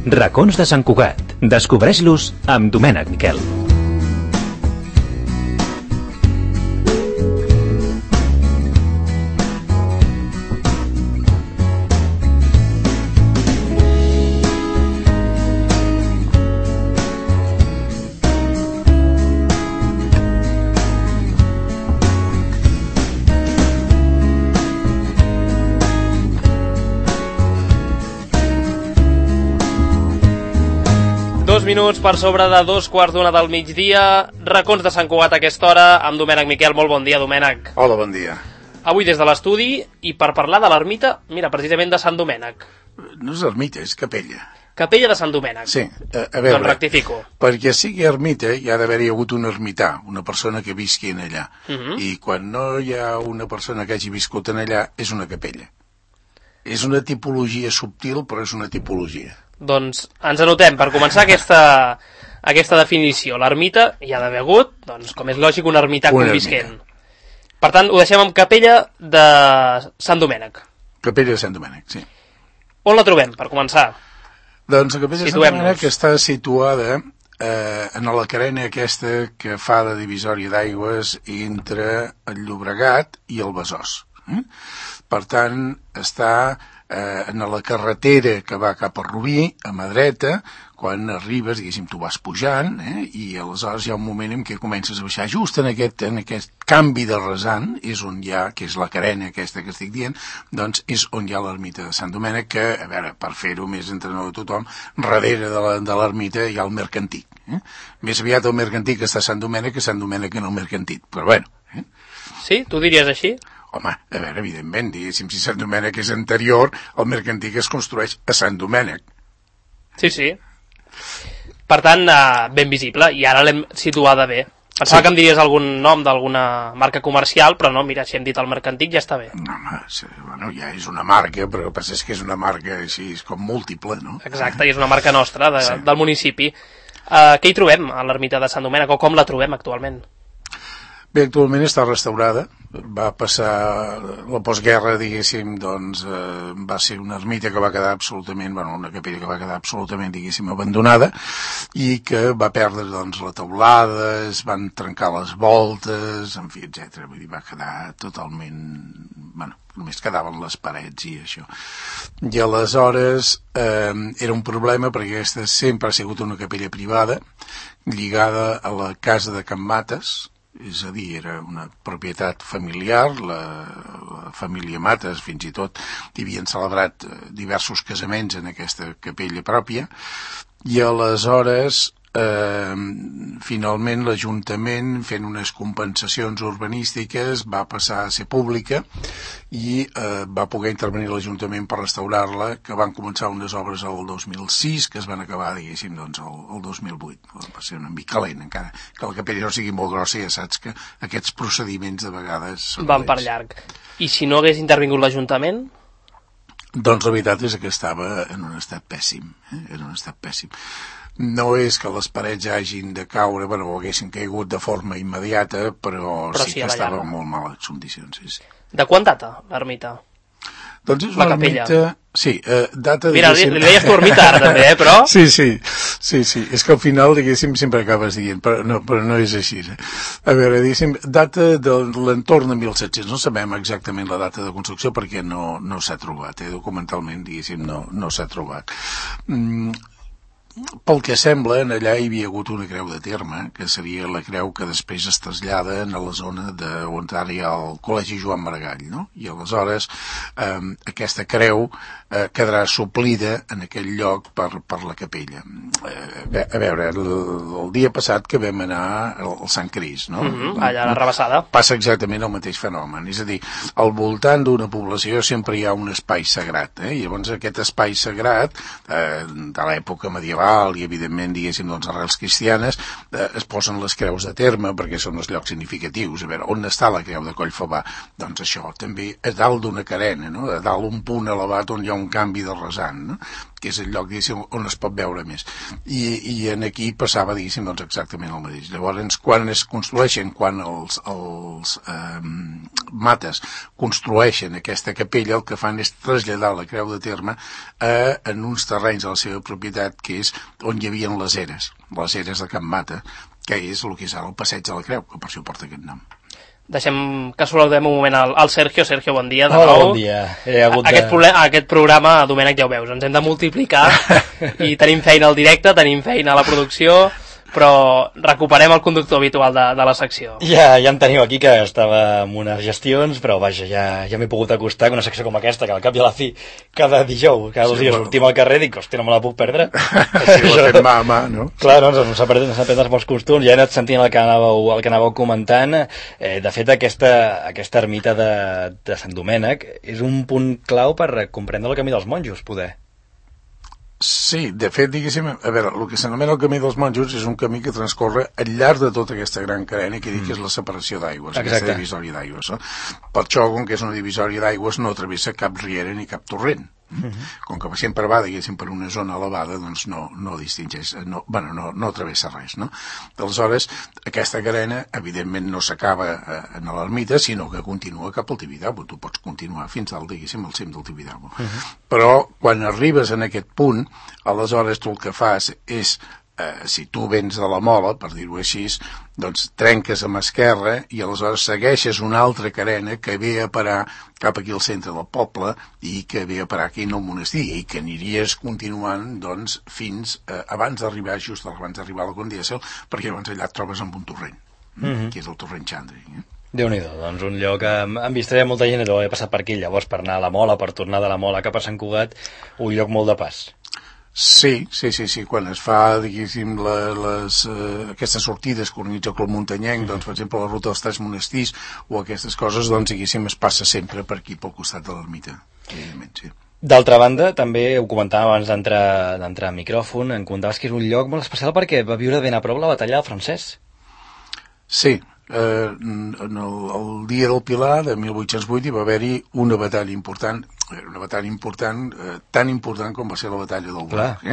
Racons de Sant Cugat. Descobreix-los amb Domènec Miquel. Minuts per sobre de 2:15 del migdia, Racons de Sant Cugat a aquesta hora, amb Domènec Miquel. Molt bon dia, Domènec. Hola, bon dia. Avui des de l'estudi, i per parlar de l'ermita, mira, precisament de Sant Domènec. No és ermita, és capella. Capella de Sant Domènec. Sí, a veure, doncs rectifico. Perquè sigui ermita hi ha d'haver-hi hagut un ermità, una persona que visqui en allà. I quan no hi ha una persona que hagi viscut en allà, és una capella. És una tipologia subtil, però és una tipologia. Doncs ens anotem, per començar, aquesta definició. L'ermita hi ha d'haver hagut, doncs, com és lògic, un ermità convisquent. Per tant, ho deixem amb capella de Sant Domènec. Capella de Sant Domènec, sí. On la trobem, per començar? Doncs la capella de Sant Domènec està situada en la carena aquesta que fa de divisòria d'aigües entre el Llobregat i el Besòs. Per tant, està en la carretera que va cap a Rubí, a mà dreta. Quan arribes, diguéssim, tu vas pujant, i aleshores hi ha un moment en què comences a baixar. Just en aquest canvi de rasant, és on hi ha, que és la carena aquesta que estic dient, doncs és on hi ha l'ermita de Sant Domènec, que, a veure, per fer-ho més entrenador de tothom, darrere de l'ermita hi ha el Mercantic. Més aviat el Mercantic està a Sant Domènec que Sant Domènec en el Mercantic, però bueno. Sí? Tu diries així? Home, a veure, evidentment, diguéssim, si Sant Domènec és anterior, el Mercantic es construeix a Sant Domènec. Sí, sí. Per tant, ben visible, i ara l'hem situada bé. Pensava que em diries algun nom d'alguna marca comercial, però no, mira, si hem dit el Mercantic ja està bé. No, home, bueno, ja és una marca, però el que passa és que és una marca així, és com múltiple, no? Exacte, i és una marca nostra, del municipi. Què hi trobem a l'ermita de Sant Domènec, o com la trobem actualment? Bé, actualment està restaurada. Va passar la postguerra, diguéssim, doncs va ser una ermita que va quedar absolutament, bueno, una capella que va quedar absolutament, diguéssim, abandonada, i que va perdre, doncs, la teulada, es van trencar les voltes, en fi, etc. Vull dir, va quedar totalment, bueno, només quedaven les parets i això. I aleshores era un problema perquè aquesta sempre ha sigut una capella privada, lligada a la casa de Can Mates. És a dir, era una propietat familiar, la família Mates fins i tot havien celebrat diversos casaments en aquesta capella pròpia, i aleshores finalment l'Ajuntament, fent unes compensacions urbanístiques, va passar a ser pública i va poder intervenir l'Ajuntament per restaurar-la, que van començar unes obres el 2006, que es van acabar, diguéssim, doncs, el 2008. Va ser una mica lent, encara que la capella no sigui molt grossa, ja saps que aquests procediments de vegades van per llarg. I si no hagués intervingut l'Ajuntament? Doncs la veritat és que estava en un estat pèssim, en un estat pèssim. No és que les parets hagin de caure, bueno, o haguessin caigut de forma immediata, però sí que estava en molt males condicions. Sí. De quan data l'ermita? Doncs és una ermita... Sí, data... Mira, li deies tu ermita ara també, però... Sí, és que al final, diguéssim, sempre acabes dient, però no és així. A veure, diguéssim, data de l'entorn de 1700, no sabem exactament la data de construcció perquè no s'ha trobat, documentalment, diguéssim, no s'ha trobat. Pel que sembla, en allà hi havia hagut una creu de terme, que seria la creu que després es trasllada a la zona on ara hi ha el Col·legi Joan Maragall, no? I aleshores aquesta creu quedarà suplida en aquell lloc per la capella. A veure, el dia passat que vam anar al Sant Crist, no? Allà a la Rabassada. Passa exactament el mateix fenomen, és a dir, al voltant d'una població sempre hi ha un espai sagrat, i llavors aquest espai sagrat de l'època medieval i evidentment, diguéssim, doncs arrels cristianes, es posen les creus de terme perquè són els llocs significatius. A veure, on està la creu de Collfabà? Doncs això, també a dalt d'una carena, no? A dalt un punt elevat on hi ha un canvi de rasant, no? que és el lloc, diguéssim, on es pot veure més. I en aquí passava, diguéssim, doncs exactament el mateix. Llavors, quan es construeixen, quan els mates construeixen aquesta capella, el que fan és traslladar la creu de terme en uns terrenys de la seva propietat, que és on hi havia les eres de Can Mata, que és el que és ara el passeig de la Creu, que per això porta aquest nom. Deixem que saludem un moment al Sergio. Sergio, bon dia de nou. Hola, bon dia. Aquest programa, Domènec, ja ho veus, ens hem de multiplicar i tenim feina al directe, tenim feina a la producció, però recuperem el conductor habitual de la secció. Ja en teniu aquí, que estava amb unes gestions, però vaja, ja m'he pogut acostar amb una secció com aquesta, que al cap i a la fi, cada dijous, cada 2 dies sortim al carrer i dic, hòstia, no me la puc perdre. Sí, ho ha fet mà a mà, no? Clar, no, no s'ha perdut els bons costums, ja he anat sentint el que anàveu comentant. De fet, aquesta ermita de Sant Domènec és un punt clau per comprendre el camí dels monjos, poder. Sí, de fet, diguéssim, a veure, el que s'anomena el camí dels monjos és un camí que transcorre al llarg de tota aquesta gran carena que dic que és la separació d'aigües, aquesta divisòria d'aigües. No? Per això, com que és una divisòria d'aigües, no travessa cap riera ni cap torrent. Com que sempre va, diguéssim, per una zona elevada, doncs no distingeix, no travessa res, no? Aleshores, aquesta carena, evidentment, no s'acaba en l'ermita, sinó que continua cap al Tibidabo. Tu pots continuar fins al, diguéssim, al cim del Tibidabo. Però, quan arribes en aquest punt, aleshores tu el que fas és si tu vens de la Mola, per dir-ho així, doncs trenques amb esquerra i aleshores segueixes una altra carena que ve a parar cap aquí al centre del poble i que ve a parar aquí en el monestir i que aniries continuant doncs fins abans d'arribar a la Condiació, perquè llavors allà et trobes amb un torrent, que és el torrent Xandri. Déu-n'hi-do, doncs un lloc em vistaré molta gent, he passat per aquí llavors per anar a la Mola, per tornar de la Mola cap a Sant Cugat, un lloc molt de pas. Sí, quan es fa, diguéssim, aquestes sortides que organitza el Club Muntanyenc, doncs, per exemple, la ruta dels 3 monestirs o aquestes coses, doncs, diguéssim, es passa sempre per aquí, pel costat de l'ermita, evidentment, sí. D'altra banda, també ho comentàvem abans d'entrar a micròfon, em comentaves que és un lloc molt especial perquè va viure ben a prop la batalla del Francès. Sí, el dia del Pilar de 1808 hi va haver-hi una batalla important, tan important com va ser la batalla del Bruc,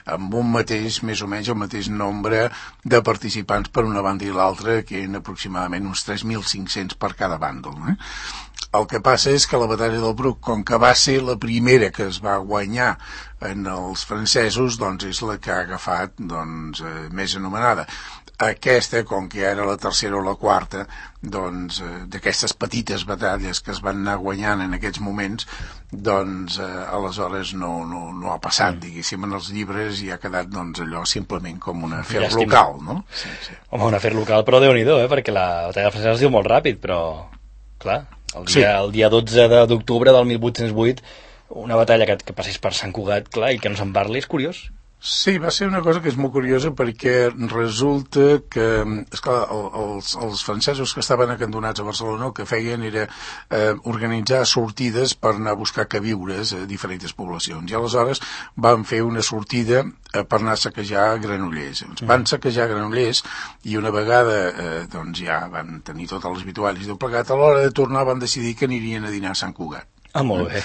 amb un mateix, més o menys el mateix nombre de participants per una banda i l'altra, que eren aproximadament uns 3.500 per cada bàndol. El que passa és que la batalla del Bruc, com que va ser la primera que es va guanyar en els francesos, doncs és la que ha agafat més anomenada. Aquesta, com que era la tercera o la quarta, doncs, d'aquestes petites batalles que es van anar guanyant en aquests moments, doncs, aleshores no ha passat, diguéssim, en els llibres i ha quedat, doncs, allò simplement com un afer local, no? Sí. Home, un afer local, però Déu-n'hi-do, perquè la batalla francesa es diu molt ràpid, però, clar, el dia 12 d'octubre del 1808, una batalla que passés per Sant Cugat, clar, i que no se'n parli, és curiós. Sí, va ser una cosa que és molt curiosa perquè resulta que, esclar, els francesos que estaven acandonats a Barcelona el que feien era organitzar sortides per anar a buscar queviures a diferents poblacions i aleshores van fer una sortida per anar a saquejar Granollers. Van saquejar Granollers i una vegada doncs ja van tenir totes les vitualles del plegat, a l'hora de tornar van decidir que anirien a dinar a Sant Cugat. Ah, molt bé.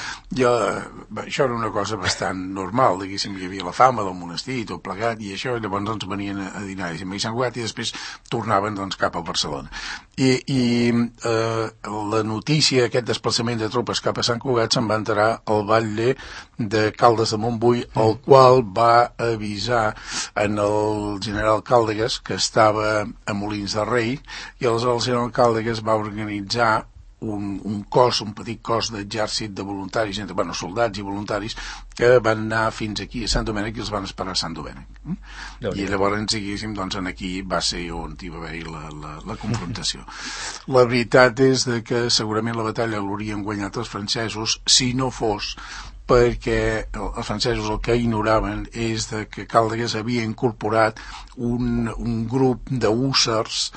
Això era una cosa bastant normal, diguéssim, hi havia la fama del monestir i tot plegat, i això, llavors doncs venien a dinar a Sant Cugat i després tornaven doncs cap a Barcelona. I la notícia, aquest desplaçament de tropes cap a Sant Cugat se'n va enterar el batlle de Caldes de Montbui, el qual va avisar en el general Càldegas, que estava a Molins de Rei, i aleshores el general Càldegas va organitzar un petit cos d'exèrcit de voluntaris, soldats i voluntaris, que van anar fins aquí a Sant Domènec i els van esperar a Sant Domènec. I llavors, diguéssim, doncs aquí va ser on hi va haver la confrontació. La veritat és que segurament la batalla l'haurien guanyat els francesos si no fos perquè els francesos el que ignoraven és que Càldegas havia incorporat un grup d'ússers,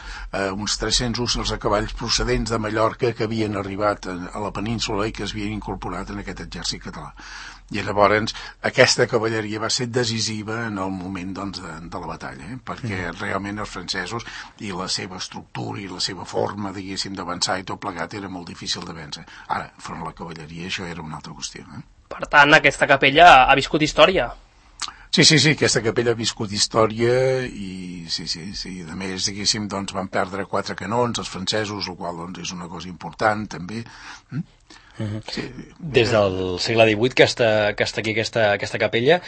uns 300 ússers a cavalls procedents de Mallorca que havien arribat a la península i que es havien incorporat en aquest exèrcit català. I llavors aquesta cavalleria va ser decisiva en el moment de la batalla, perquè realment els francesos i la seva estructura i la seva forma, diguéssim, d'avançar i tot plegat era molt difícil de vèncer. Ara, front a la cavalleria, això era una altra qüestió. Per tant, aquesta capella ha viscut història. Sí, aquesta capella ha viscut història i sí. A més, diguéssim, doncs van perdre 4 canons, els francesos, el qual doncs, és una cosa important, també. Sí. Des del segle XVIII que està aquí aquesta capella,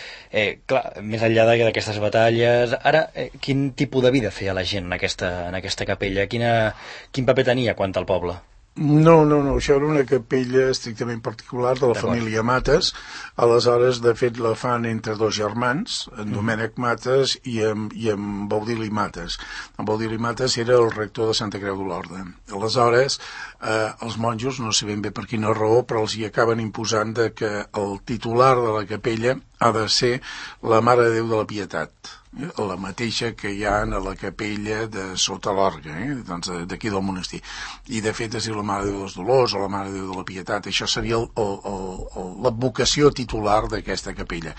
clar, més enllà d'aquestes batalles, ara, quin tipus de vida feia la gent en aquesta capella? Quin paper tenia quant al poble? No, això era una capella estrictament particular de la família Mates. Aleshores, de fet, la fan entre 2 germans, en Domènec Mates i en Baudili Mates. En Baudili Mates era el rector de Santa Creu d'Olorda. Aleshores, els monjos, no sé ben bé per quina raó, però els hi acaben imposant que el titular de la capella ha de ser la Mare de Déu de la Pietat, la mateixa que hi ha a la capella de sota l'Orga, doncs d'aquí del monestir. I de fet és la Mare de Déu dels Dolors o la Mare de Déu de la Pietat. Això seria l'advocació titular d'aquesta capella.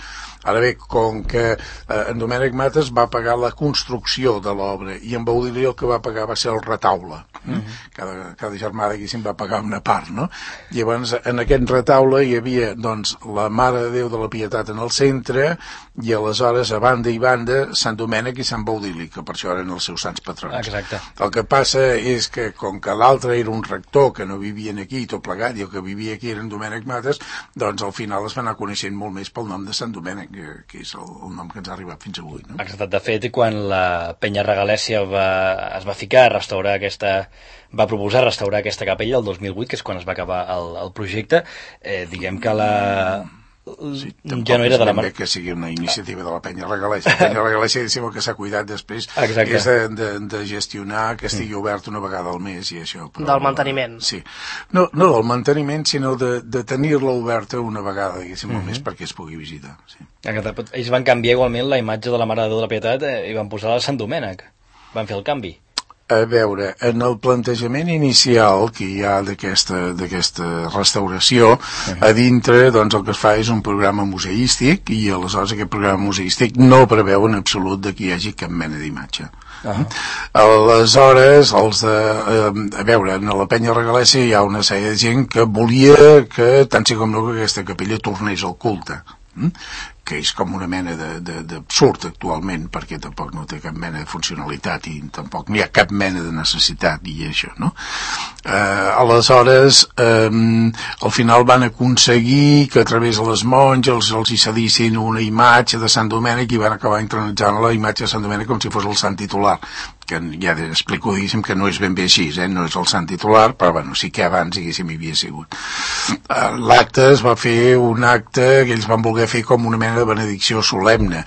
Ara bé, com que en Domènec Mates va pagar la construcció de l'obra i en Baudili el que va pagar va ser el retaule. Cada germà diguéssim va pagar una part, no? Llavors en aquest retaule hi havia doncs la Mare de Déu de la Pietat en el centre i aleshores a banda i banda Sant Domènec i Sant Baudili, que per això eren els seus sants patrons. Exacte. El que passa és que com que l'altre era un rector que no vivien aquí tot plegat i el que vivia aquí era en Domènec Mates, doncs al final es va anar coneixent molt més pel nom de Sant Domènec, que és el nom que ens ha arribat fins avui, no? Exacte. De fet, quan la penya regalèssia es va ficar a restaurar va proposar restaurar aquesta capella el 2008, que és quan es va acabar el projecte, diguem que Sí, ja no era de la mar... que sigui una iniciativa de la penya regalèssia. La penya regalèssia, diguéssim, el que s'ha cuidat després és de gestionar que estigui obert una vegada al mes i això. Però, del manteniment. Sí. No del manteniment, sinó de tenir-la oberta una vegada, diguéssim, al mes perquè es pugui visitar. Sí. Ells van canviar igualment la imatge de la Mare de Déu de la Pietat i van posar la Sant Domènec. Van fer el canvi. A veure, en el plantejament inicial que hi ha d'aquesta restauració, a dintre doncs, el que es fa és un programa museístic i aleshores aquest programa museístic no preveu en absolut que hi hagi cap mena d'imatge. Aleshores, a veure, en la penya regalèssia hi ha una sèrie de gent que volia que, tant sí com no, que aquesta capella tornés al culte, que és com una mena d'absurd actualment, perquè tampoc no té cap mena de funcionalitat i tampoc n'hi ha cap mena de necessitat i això, no? Aleshores, al final van aconseguir que a través de les monges els hi cedissin una imatge de Sant Domènec i van acabar intronitzant la imatge de Sant Domènec com si fos el sant titular, que ja explico, diguéssim, que no és ben bé així, no és el sant titular, però bueno, sí que abans, diguéssim, hi havia sigut. L'acte es va fer un acte que ells van voler fer com una mena de benedicció solemne.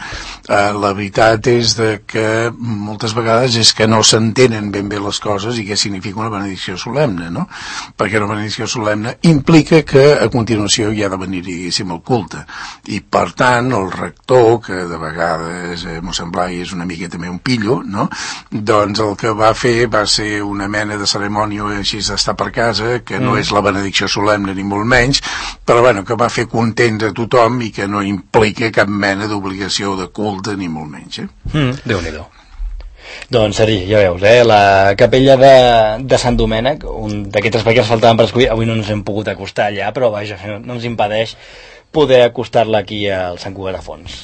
La veritat és que moltes vegades és que no s'entenen ben bé les coses i què significa una benedicció solemne, no? Perquè una benedicció solemne implica que a continuació hi ha de venir, diguéssim, el culte. I per tant, el rector, que de vegades mossèn Blai és una mica també un pillo, no? Doncs el que va fer va ser una mena de cerimònia així d'estar per casa, que no és la benedicció solemne ni molt menys, però bueno, que va fer content a tothom i que no implica cap mena d'obligació de culte ni molt menys. Déu-n'hi-do. Doncs, Sergi, ja veus, la capella de Sant Domènec, un d'aquests aspectes que ens faltaven per escollir, avui no ens hem pogut acostar allà, però vaja, no ens impedeix poder acostar-la aquí al Sant Cugat de Fons.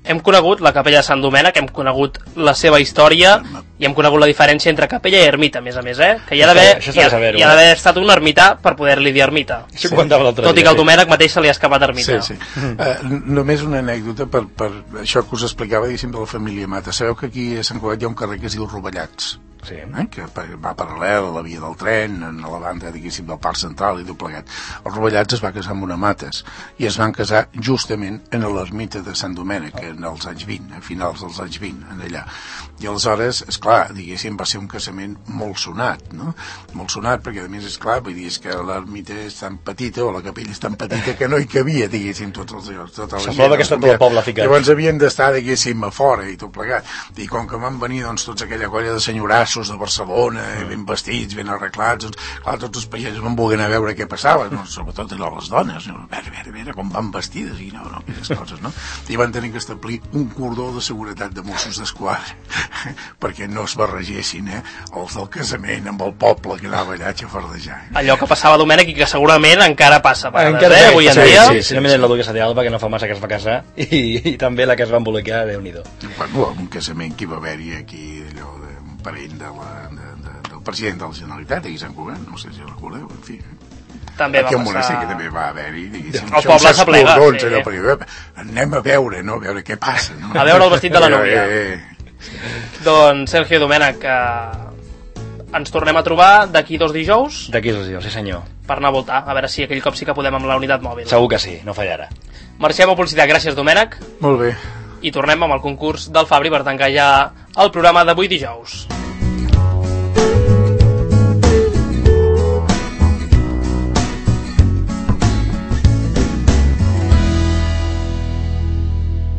Hem conegut la capella de Sant Domènec, hem conegut la seva història i hem conegut la diferència entre capella i ermita, a més, que hi ha d'haver estat un ermità per poder-li dir ermita. Sí. Tot i que al Domènec mateix se li ha escapat ermità. Sí. Només una anècdota per això que us explicava, diguéssim, de la família Mata. Sabeu que aquí a Sant Cugat hi ha un carrer que es diu Rovellats? Sí. Que va paral·lel a la via del tren, a la banda, diguéssim, del Parc Central i tot plegat. Els Rovellats es va casar amb una Mates i es van casar justament en l'ermita de Sant Domènec en els anys 20, a finals dels anys 20, en allà. I aleshores, esclar, diguéssim, va ser un casament molt sonat, no? Molt sonat, perquè a més, esclar, vull dir, és que l'ermita és tan petita, o la capella és tan petita, que no hi cabia, diguéssim, tots els llocs, tota la gent. Semblava que està tot el poble ficat. Llavors havien d'estar, diguéssim, a fora i tot plegat. I com que van venir, doncs, tots aquella colla de senyorassos Mossos de Barcelona, ben vestits, ben arreglats, doncs, clar, tots els pagesos van voler anar a veure què passava, no? Sobretot les dones, no? A veure, com van vestides, i no, aquestes coses, no? I van tenir que establir un cordó de seguretat de Mossos d'Esquadra perquè no es barregessin, els del casament amb el poble que anava allà a xafardejar. Allò que passava a Domènec i que segurament encara passa per avui en dia. Sí, només la duquesa d'Alba, que no fa massa que es va casar, i també la que es va embolicar, Déu-n'hi-do. Bueno, un casament que hi va haver-hi aquí, allò d'un parell del president de la Generalitat, aquí a Sant Cugat, no sé si recordeu, en fi. També aquí va passar... que també va haver-hi, diguéssim, el poble s'aplega, anem a veure, no? A veure què passa, no? A veure el vestit de la núvia. Doncs, Sergio Domènech, ens tornem a trobar d'aquí 2 dijous. D'aquí 2 dijous, sí senyor. Per anar a voltar, a veure si aquell cop sí que podem amb la unitat mòbil. Segur que sí, no fallarà. Marxem a publicitat, gràcies Domènech. Molt bé. I tornem amb el concurs del Fabri per tancar ja el programa d'avui dijous.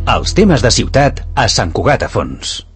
Els temes de ciutat a Sant Cugat a Fons.